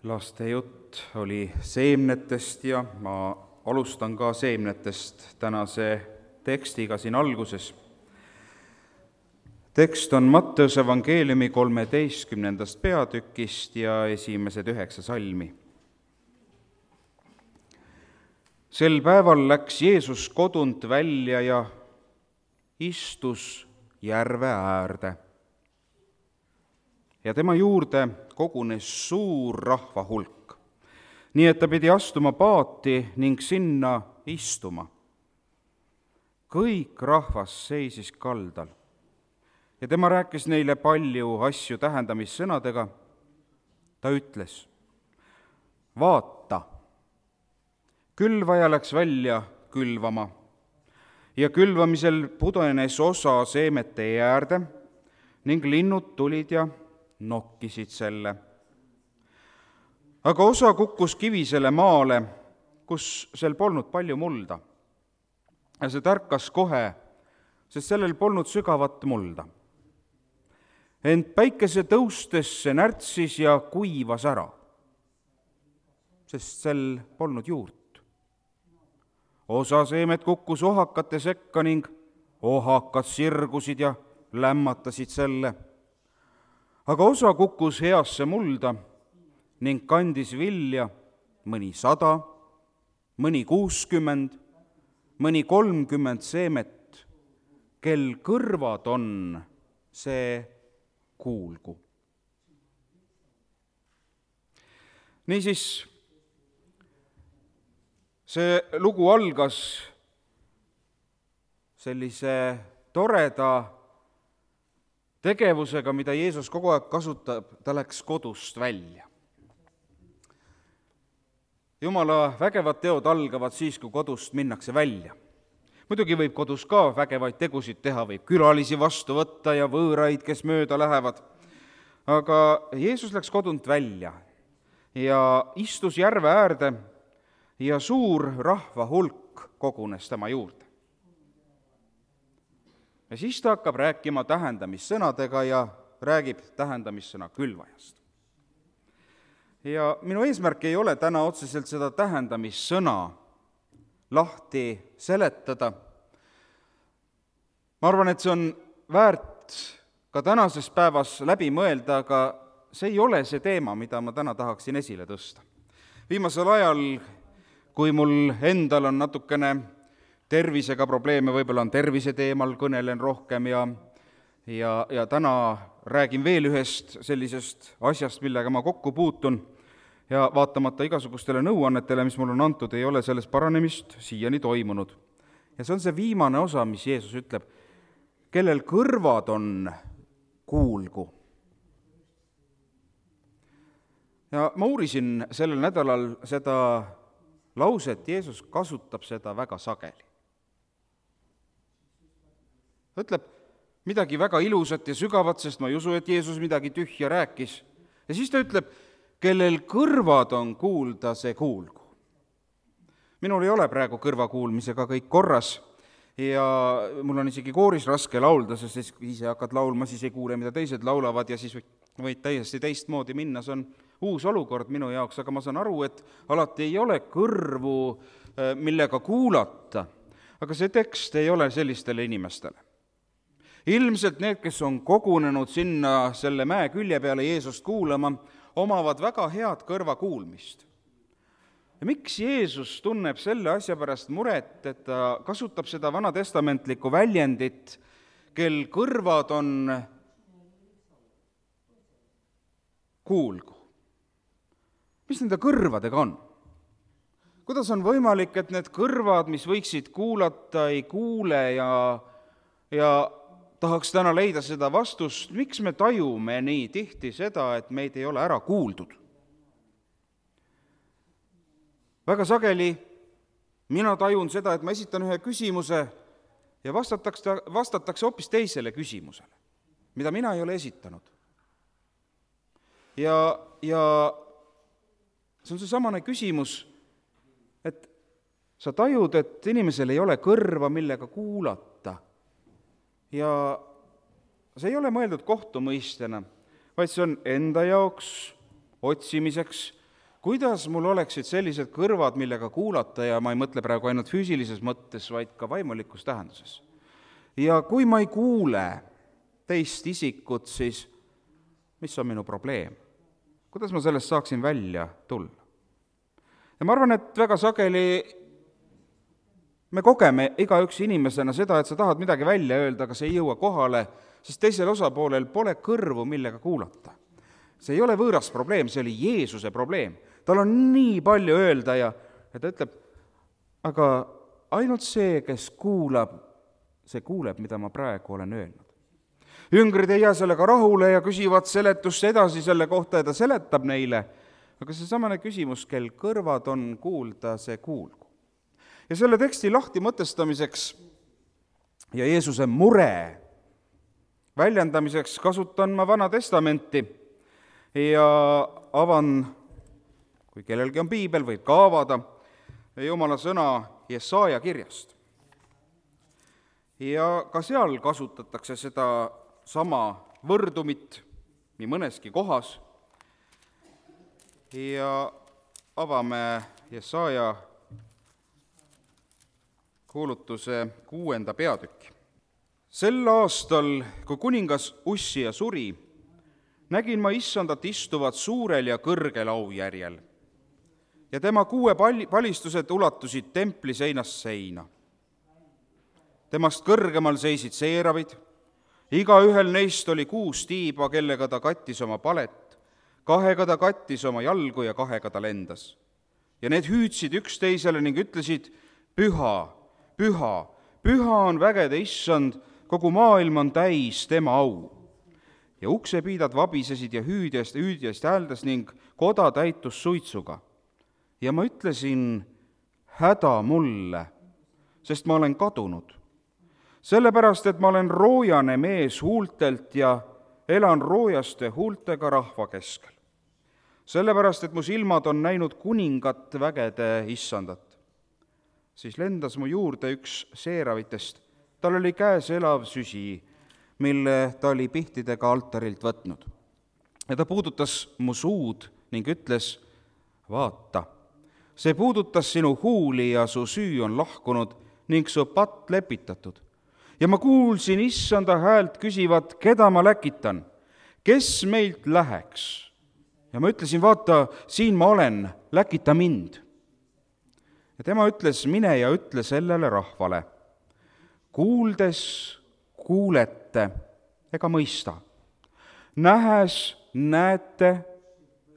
Laste jutt oli seemnetest ja ma alustan ka seemnetest tänase tekstiga siin alguses. Tekst on Matteuse evangeeliumi 13. peatükist ja esimesed 9 salmi. Sel päeval läks Jeesus kodunt välja ja istus järve äärde. Ja tema juurde kogunes suur rahva hulk, nii et ta pidi astuma paati ning sinna istuma. Kõik rahvas seisis kaldal ja tema rääkis neile palju asju tähendamissõnadega. Ta ütles, vaata, külvaja läks välja külvama ja külvamisel pudenes osa seemete äärde ning linnud tulid ja nokkisid selle. Aga osa kukkus kivisele maale, kus sel polnud palju mulda. Ja see tärkas kohe, sest sellel polnud sügavat mulda. Ent päikese tõustes see närtsis ja kuivas ära, sest sel polnud juurt. Osa seemet kukkus ohakate sekka ning ohakad sirgusid ja lämmatasid selle. Aga osa kukkus heasse mulda ning kandis vilja mõni 100, mõni 60, mõni 30 seemet, kel kõrvad on, see kuulgu. Niisiis, see lugu algas sellise toreda tegevusega, mida Jeesus kogu aeg kasutab, ta läks kodust välja. Jumala vägevad teod algavad siis, kui kodust minnakse välja. Muidugi võib kodus ka vägevaid tegusid teha, võib külalisi vastu võtta ja võõraid, kes mööda lähevad. Aga Jeesus läks kodunt välja ja istus järve äärde ja suur rahva hulk kogunes tema juurde. Ja siis ta hakkab rääkima tähendamissõnadega ja räägib tähendamissõna külvajast. Ja minu eesmärk ei ole täna otseselt seda tähendamissõna lahti seletada. Ma arvan, et see on väärt ka tänases päevas läbi mõelda, aga see ei ole see teema, mida ma täna tahaksin esile tõsta. Viimasel ajal, kui mul endal on natukene tervisega probleeme, võib-olla on tervise teemal, kõnelen rohkem ja täna räägin veel ühest sellisest asjast, millega ma kokku puutun ja vaatamata igasugustele nõuannetele, mis mul on antud, ei ole selles paranemist siiani toimunud. Ja see on see viimane osa, mis Jeesus ütleb, kellel kõrvad on, kuulgu. Ja ma uurisin sellel nädalal seda lauset, Jeesus kasutab seda väga sageli. Ta ütleb midagi väga ilusat ja sügavat, sest ma ei usu, et Jeesus midagi tühja rääkis. Ja siis ta ütleb, kellel kõrvad on kuulda, see kuulgu. Minul ei ole praegu kõrvakuulmisega kõik korras ja mul on isegi kooris raske laulda, sest ise hakkad laulma, siis ei kuule, mida teised laulavad ja siis võid täiesti teistmoodi minna. See on uus olukord minu jaoks, aga ma saan aru, et alati ei ole kõrvu, millega kuulata. Aga see tekst ei ole sellistele inimestele. Ilmselt need, kes on kogunenud sinna selle mäe külje peale Jeesust kuulama, omavad väga head kõrvakuulmist. Ja miks Jeesus tunneb selle asja pärast muret, et ta kasutab seda vanatestamentlikku väljendit, kel kõrvad on, kuulgu? Mis nende kõrvadega on? Kuidas on võimalik, et need kõrvad, mis võiksid kuulata, ei kuule ja tahaks täna leida seda vastust, miks me tajume nii tihti seda, et meid ei ole ära kuuldud? Väga sageli mina tajun seda, et ma esitan ühe küsimuse ja vastatakse hoopis teisele küsimusele, mida mina ei ole esitanud. Ja see on seesamane küsimus, et sa tajud, et inimesel ei ole kõrva, millega kuulata. Ja see ei ole mõeldud kohtumõistena, vaid see on enda jaoks otsimiseks, kuidas mul oleksid sellised kõrvad, millega kuulata ja ma ei mõtle praegu ainult füüsilises mõttes, vaid ka vaimulikus tähenduses. Ja kui ma ei kuule teist isikut, siis mis on minu probleem? Kuidas ma sellest saaksin välja tulla? Ja ma arvan, et väga sageli me kogeme igaüks inimesena seda, et sa tahad midagi välja öelda, aga see ei jõua kohale, sest teisel osapoolel pole kõrvu, millega kuulata. See ei ole võõras probleem, see oli Jeesuse probleem. Tal on nii palju öelda ja ta ütleb, aga ainult see, kes kuulab, see kuuleb, mida ma praegu olen öelnud. Jüngrid ei jää sellega rahule ja küsivad seletust edasi selle kohta ja ta seletab neile, aga see samane küsimus, kel kõrvad on kuulda, see kuulgu. Ja selle teksti lahti mõtestamiseks ja Jeesuse mure väljendamiseks kasutan ma Vana Testamenti ja avan, kui kellelgi on piibel, võib ka avada, Jumala sõna Jesaja kirjast. Ja ka seal kasutatakse seda sama võrdumit nii mõneski kohas ja avame Jesaja kuulutuse 6. peatükki. Sel aastal, kui kuningas Ussia suri, nägin ma Issandat istuvat suurel ja kõrgel aujärjel ja tema 6 palistused ulatusid templi seinast seina. Temast kõrgemal seisid seeravid, igaühel neist oli 6 tiiba, kellega ta kattis oma palet, 2 ta kattis oma jalgu ja 2 ta lendas. Ja need hüüdsid üksteisele ning ütlesid, püha, püha, püha on vägede issand, kogu maailm on täis tema au. Ja uksepiidad vabisesid ja hüüdjast hääldas ning koda täitus suitsuga. Ja ma ütlesin, häda mulle, sest ma olen kadunud. Sellepärast, et ma olen roojane mees huultelt ja elan roojaste huultega rahva keskel. Sellepärast, et mu silmad on näinud kuningat vägede issandat. Siis lendas mu juurde üks seeravitest. Tal oli käes elav süsi, mille ta oli pihtidega altarilt võtnud. Ja ta puudutas mu suud ning ütles, vaata, see puudutas sinu huuli ja su süü on lahkunud ning su patt lepitatud. Ja ma kuulsin issanda häält küsivat, keda ma läkitan, kes meilt läheks. Ja ma ütlesin, vaata, siin ma olen, läkita mind. Ja tema ütles, mine ja ütle sellele rahvale, kuuldes kuulete ega mõista, nähes näete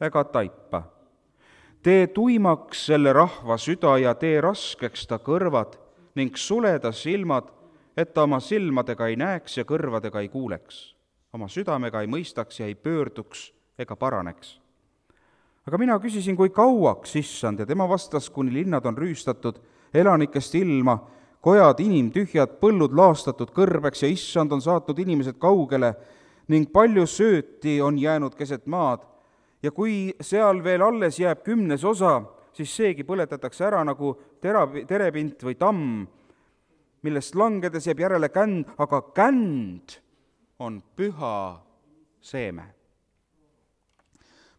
ega taipa. Tee tuimaks selle rahva süda ja tee raskeks ta kõrvad ning suleda silmad, et ta oma silmadega ei näeks ja kõrvadega ei kuuleks, oma südamega ei mõistaks ja ei pöörduks ega paraneks. Aga mina küsisin, kui kauaks, issand, ja tema vastas, kuni linnad on rüüstatud, elanikest ilma, kojad inimtühjad, põllud laastatud kõrbeks ja issand on saatnud inimesed kaugele ning palju sööti on jäänud keset maad. Ja kui seal veel alles jääb 10 osa, siis seegi põletatakse ära nagu terepint või tamm, millest langedes jääb järele känd, aga känd on püha seeme.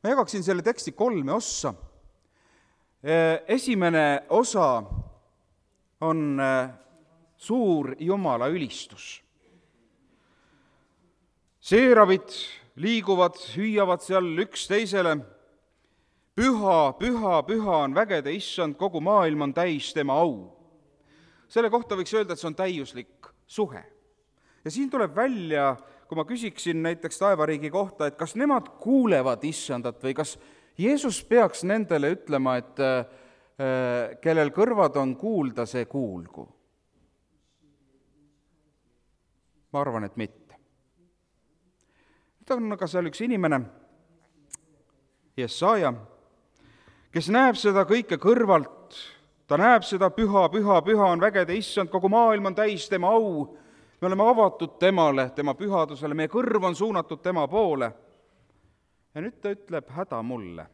Ma jagaksin selle teksti 3 ossa. Esimene osa on suur Jumala ülistus. Seeravid liiguvad, hüüavad seal üksteisele. Püha, püha, püha on vägede issand, kogu maailm on täis tema au. Selle kohta võiks öelda, et see on täiuslik suhe. Ja siin tuleb välja, kui ma küsiksin näiteks taevariigi kohta, et kas nemad kuulevad issandat või kas Jeesus peaks nendele ütlema, et kellel kõrvad on kuulda, see kuulgu. Ma arvan, et mitte. Nüüd on aga seal üks inimene, Jesaja, kes näeb seda kõike kõrvalt, ta näeb seda püha, püha, püha on vägede issand, kogu maailm on täis tema au, me oleme avatud temale, tema pühadusele, meie kõrv on suunatud tema poole. Ja nüüd ta ütleb, häda mulle,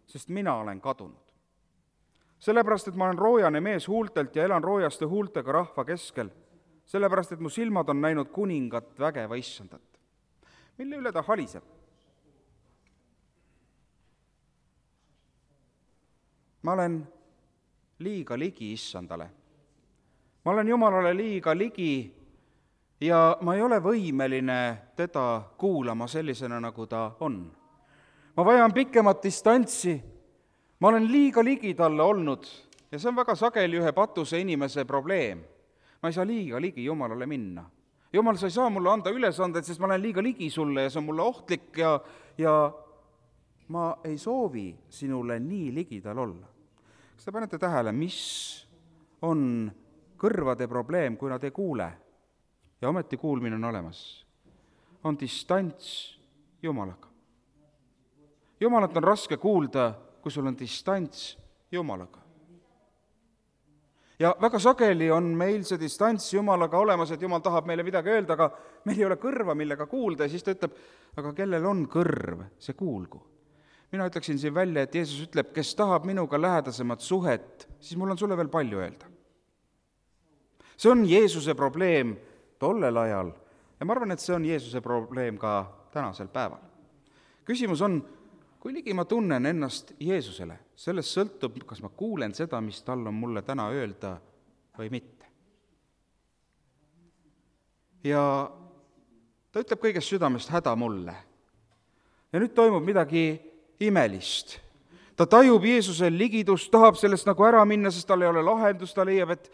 sest mina olen kadunud. Sellepärast, et ma olen roojane mees huultelt ja elan roojaste huultega rahva keskel. Sellepärast, et mu silmad on näinud kuningat vägeva issandat. Mille üle ta haliseb? ma olen liiga ligi issandale. Ma olen Jumalale liiga ligi ja ma ei ole võimeline teda kuulama sellisena, nagu ta on. Ma vajan pikemat distantsi, ma olen liiga ligi talle olnud ja see on väga sageli ühe patuse inimese probleem. Ma ei saa liiga ligi Jumalale minna. Jumal, sa ei saa mulle anda ülesanded, sest ma olen liiga ligi sulle ja see on mulle ohtlik ja ma ei soovi sinule nii ligidal olla. Kas te panete tähele, mis on kõrvade probleem, kui nad ei kuule? Ja ometi kuulmine on olemas. On distants Jumalaga. Jumalat on raske kuulda, kui sul on distants Jumalaga. Ja väga sageli on meil see distants Jumalaga olemas, et Jumal tahab meile midagi öelda, aga meil ei ole kõrva, millega kuulda, ja siis ta ütleb, aga kellel on kõrv, see kuulgu. Mina ütleksin siin välja, et Jeesus ütleb, kes tahab minuga lähedasemat suhet, siis mul on sulle veel palju öelda. See on Jeesuse probleem tollel ajal ja ma arvan, et see on Jeesuse probleem ka tänasel päeval. Küsimus on, kui ligi ma tunnen ennast Jeesusele, sellest sõltub, kas ma kuulen seda, mis tal on mulle täna öelda või mitte. Ja ta ütleb kõigest südamest häda mulle. Ja nüüd toimub midagi imelist. Ta tajub Jeesuse ligidust, tahab sellest nagu ära minna, sest tal ei ole lahendust, ta leiab, et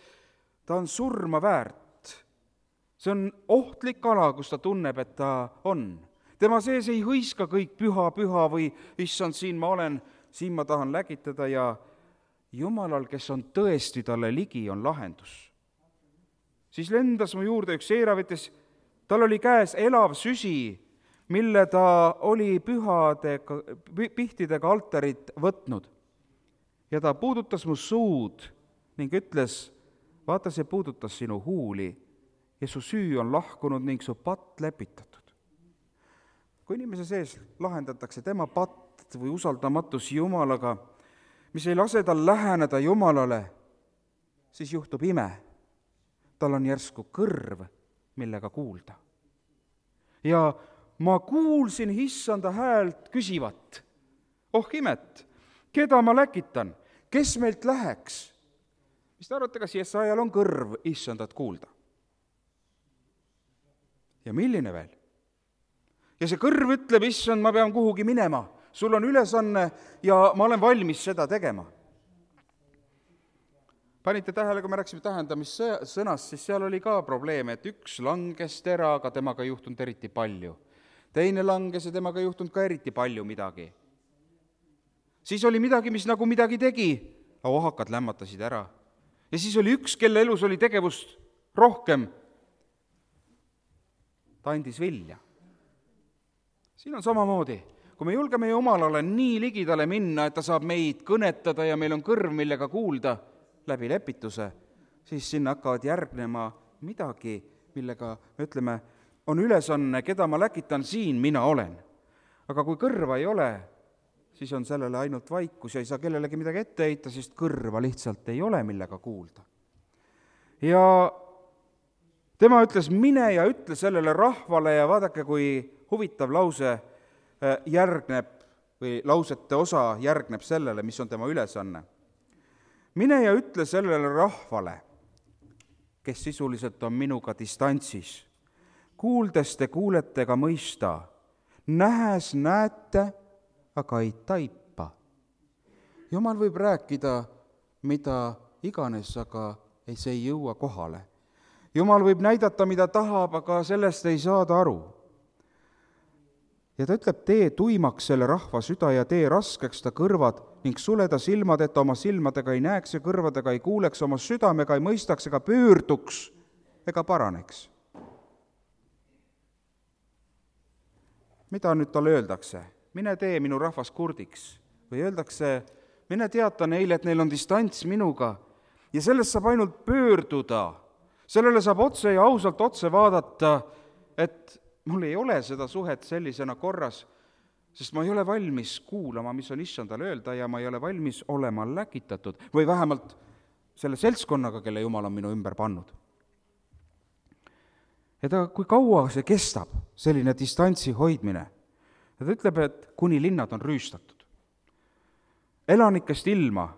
ta on surma väärt. See on ohtlik ala, kus ta tunneb, et ta on. Tema sees ei hõiska kõik püha või issand, siin ma olen, siin ma tahan lägitada ja Jumalal, kes on tõesti talle ligi, on lahendus. Siis lendas mu juurde üks seeravetes, tal oli käes elav süsi, mille ta oli pihtidega altarit võtnud. Ja ta puudutas mu suud ning ütles, vaata, see puudutas sinu huuli ja su süü on lahkunud ning su patt lepitatud. Kui inimese sees lahendatakse tema patt või usaldamatus Jumalaga, mis ei lase tal läheneda Jumalale, siis juhtub ime. Tal on järsku kõrv, millega kuulda. Ja ma kuulsin issanda häält küsivat, oh imet, keda ma läkitan, kes meilt läheks? Mis te arvate, kas Jesajal on kõrv issandat kuulda? Ja milline veel? Ja see kõrv ütleb, issand, ma pean kuhugi minema, sul on ülesanne ja ma olen valmis seda tegema. Panite tähele, kui me rääksime tähendamissõnast, siis seal oli ka probleem, et üks langes tera, aga temaga ei juhtunud eriti palju. Teine langes ja temaga ei juhtunud ka eriti palju midagi. Siis oli midagi, mis nagu midagi tegi, aga ohakad lämmatasid ära. Ja siis oli üks, kelle elus oli tegevust rohkem. Ta andis vilja. Siin on samamoodi. Kui me julgeme Jumalale nii ligidale minna, et ta saab meid kõnetada ja meil on kõrv, millega kuulda läbi lepituse, siis sinna hakkavad järgnema midagi, millega me ütleme, on ülesanne, keda ma läkitan, siin mina olen. Aga kui kõrva ei ole, siis on sellele ainult vaikus ja ei saa kellelegi midagi ette heita, sest kõrva lihtsalt ei ole, millega kuulda. Ja tema ütles, mine ja ütle sellele rahvale ja vaadake, kui huvitav lause järgneb või lausete osa järgneb sellele, mis on tema ülesanne. Mine ja ütle sellele rahvale, kes sisuliselt on minuga distantsis. Kuuldes te kuulete ega mõista, nähes näete, aga ei taipa. Jumal võib rääkida mida iganes, aga see ei jõua kohale. Jumal võib näidata, mida tahab, aga sellest ei saada aru. Ja ta ütleb, tee tuimaks selle rahva süda ja tee raskeks ta kõrvad ning suleda silmad, et oma silmadega ei näeks ja kõrvadega ei kuuleks, oma südamega ei mõistaks ega pöörduks ega paraneks. Mida nüüd talle öeldakse? Mine tee minu rahvas kurdiks. Või öeldakse, mine teata neile, et neil on distants minuga ja sellest saab ainult pöörduda. Sellele saab otse ja ausalt otse vaadata, et mul ei ole seda suhet sellisena korras, sest ma ei ole valmis kuulama, mis on issandale öelda ja ma ei ole valmis olema läkitatud või vähemalt selle seltskonnaga, kelle Jumal on minu ümber pannud. Ja kui kaua see kestab, selline distantsi hoidmine? Ja ta ütleb, et kuni linnad on rüüstatud. Elanikest ilma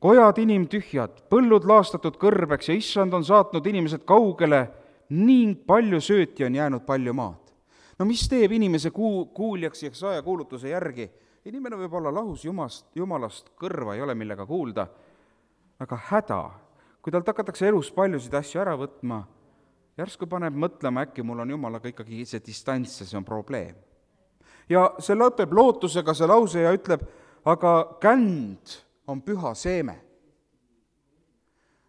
kojad inimtühjad, põllud laastatud kõrbeks ja issand on saatnud inimesed kaugele ning palju sööti on jäänud palju maad. No mis teeb inimese kuuljaks ja sajakuulutuse järgi? Inimene võib olla lahus Jumalast, kõrva ei ole millega kuulda, aga häda, kui talt hakatakse elus paljusid asju ära võtma, järsku paneb mõtlema, äkki mul on Jumalaga ikkagi see distants ja see on probleem. Ja see lõpeb lootusega see lause ja ütleb, aga känd on püha seeme.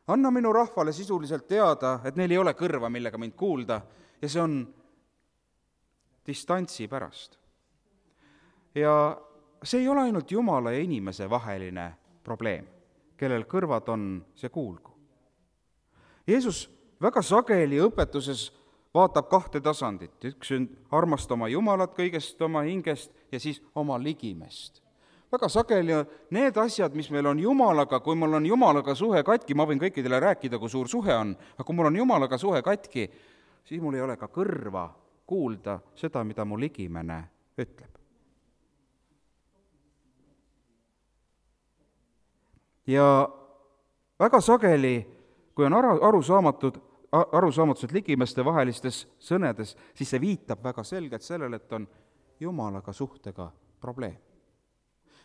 Anna minu rahvale sisuliselt teada, et neil ei ole kõrva, millega mind kuulda, ja see on distantsi pärast. Ja see ei ole ainult Jumala ja inimese vaheline probleem, kellel kõrvad on, see kuulgu. Jeesus väga sageli õpetuses vaatab kahte tasandit. Üks on armasta oma Jumalat kõigest oma hingest ja siis oma ligimest. Väga sageli need asjad, mis meil on Jumalaga, kui mul on Jumalaga suhe katki, ma võin kõikidele rääkida, kui suur suhe on, aga kui mul on Jumalaga suhe katki, siis mul ei ole ka kõrva kuulda seda, mida mu ligimene ütleb. Ja väga sageli, kui on arusaamatused ligimeste vahelistes sõnedes, siis see viitab väga selgelt sellele, et on Jumalaga suhtega probleem.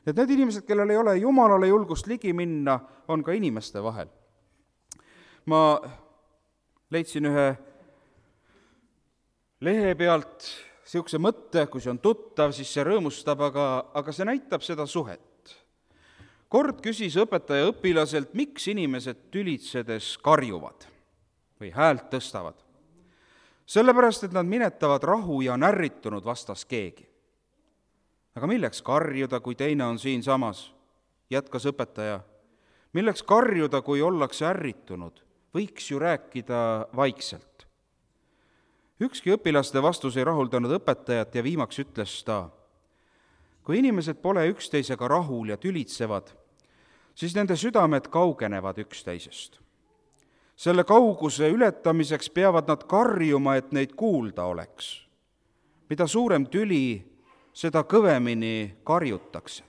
Et need inimesed, kellel ei ole Jumalale julgust ligi minna, on ka inimeste vahel. Ma leidsin ühe lehe pealt niisuguse mõtte, kui see on tuttav, siis see rõõmustab, aga see näitab seda suhet. Kord küsis õpetaja õpilaselt, miks inimesed tülitsedes karjuvad või häält tõstavad. Sellepärast, et nad minetavad rahu ja on ärritunud vastas keegi. Aga milleks karjuda, kui teine on siinsamas? Jätkas õpetaja. Milleks karjuda, kui ollakse ärritunud? Võiks ju rääkida vaikselt. Ükski õpilaste vastus ei rahuldanud õpetajat ja viimaks ütles ta, kui inimesed pole üksteisega rahul ja tülitsevad, siis nende südamed kaugenevad üksteisest. Selle kauguse ületamiseks peavad nad karjuma, et neid kuulda oleks. Mida suurem tüli, seda kõvemini karjutakse.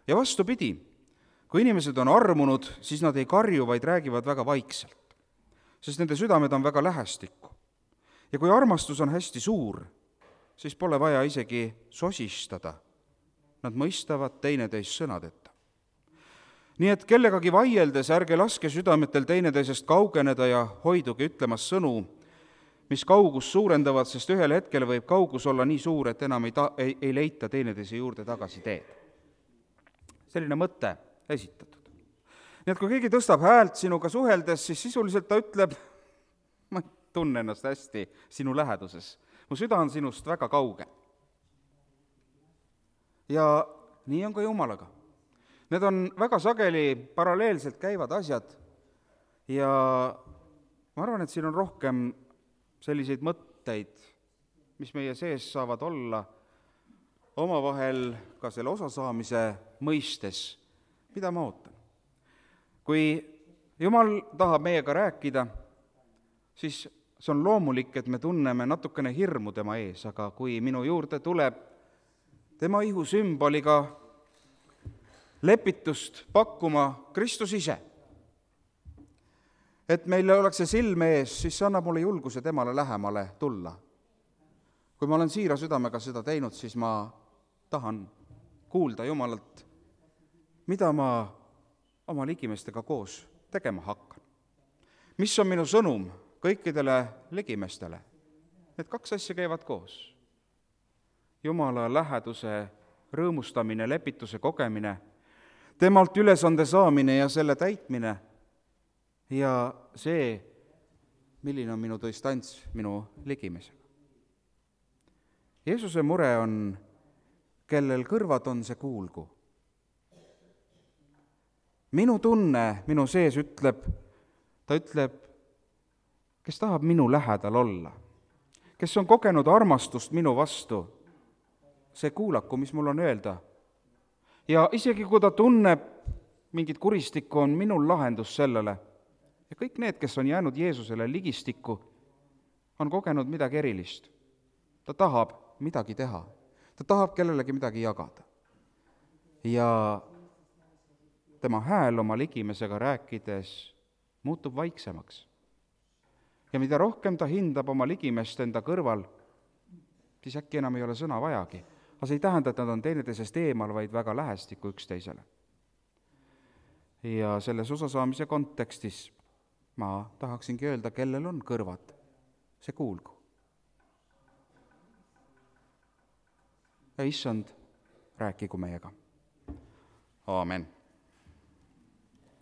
Ja vastupidi, kui inimesed on armunud, siis nad ei karju, vaid räägivad väga vaikselt, sest nende südamed on väga lähestikku. Ja kui armastus on hästi suur, siis pole vaja isegi sosistada. Nad mõistavad teineteist sõnadeta. Nii et kellegagi vaieldes ärge laske südametel teineteisest kaugeneda ja hoiduge ütlemas sõnu, mis kaugust suurendavad, sest ühel hetkel võib kaugus olla nii suur, et enam ei leita teineteise juurde tagasi teed. Selline mõte esitatud. Nii et kui keegi tõstab häält sinuga suheldes, siis sisuliselt ta ütleb, ma tunnen ennast hästi sinu läheduses. Mu süda on sinust väga kauge. Ja nii on ka Jumalaga. Need on väga sageli paralleelselt käivad asjad ja ma arvan, et siin on rohkem selliseid mõtteid, mis meie sees saavad olla omavahel ka selle osasaamise mõistes, mida ma ootan. Kui Jumal tahab meiega rääkida, siis see on loomulik, et me tunneme natukene hirmu tema ees, aga kui minu juurde tuleb tema ihu sümboliga lepitust pakkuma Kristus ise, et meil oleks see silme ees, siis see annab mulle julguse temale lähemale tulla. Kui ma olen siira südamega seda teinud, siis ma tahan kuulda Jumalalt, mida ma oma ligimestega koos tegema hakkan. Mis on minu sõnum kõikidele ligimestele? Need kaks asja käivad koos. Jumala läheduse rõõmustamine, lepituse kogemine, temalt ülesande saamine ja selle täitmine ja see, milline on minu distants minu ligimesega. Jeesuse mure on, kellel kõrvad on, see kuulgu. Minu tunne minu sees ütleb, kes tahab minu lähedal olla, kes on kogenud armastust minu vastu, see kuulaku, mis mul on öelda. Ja isegi kui ta tunneb mingit kuristikku, on minul lahendus sellele. Ja kõik need, kes on jäänud Jeesusele ligistikku, on kogenud midagi erilist. Ta tahab midagi teha. Ta tahab kellelegi midagi jagada. Ja tema hääl oma ligimesega rääkides muutub vaiksemaks. Ja mida rohkem ta hindab oma ligimest enda kõrval, siis äkki enam ei ole sõna vajagi. Aga see ei tähenda, et nad on teineteisest eemal, vaid väga lähestikku üksteisele. Ja selles osasaamise kontekstis ma tahaksingi öelda, kellel on kõrvad, see kuulgu. Ja issand, rääkigu meiega. Aamen.